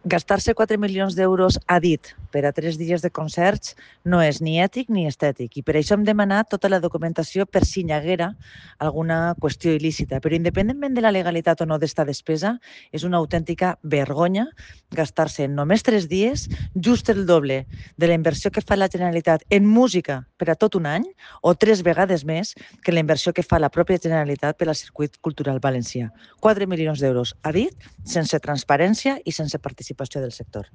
Gastar-se 4 milions d'euros a dit per a 3 dies de concerts no és ni ètic ni estètic i per això hem demanat tota la documentació per si hi haguera alguna qüestió il·lícita. Però independentment de la legalitat o no d'esta despesa, és una autèntica vergonya gastar-se en només 3 dies just el doble de la inversió que fa la Generalitat en música per a tot un any o 3 vegades més que la inversió que fa la pròpia Generalitat per al circuit cultural valencià. 4 milions d'euros a dit, sense transparència i sense participació del sector.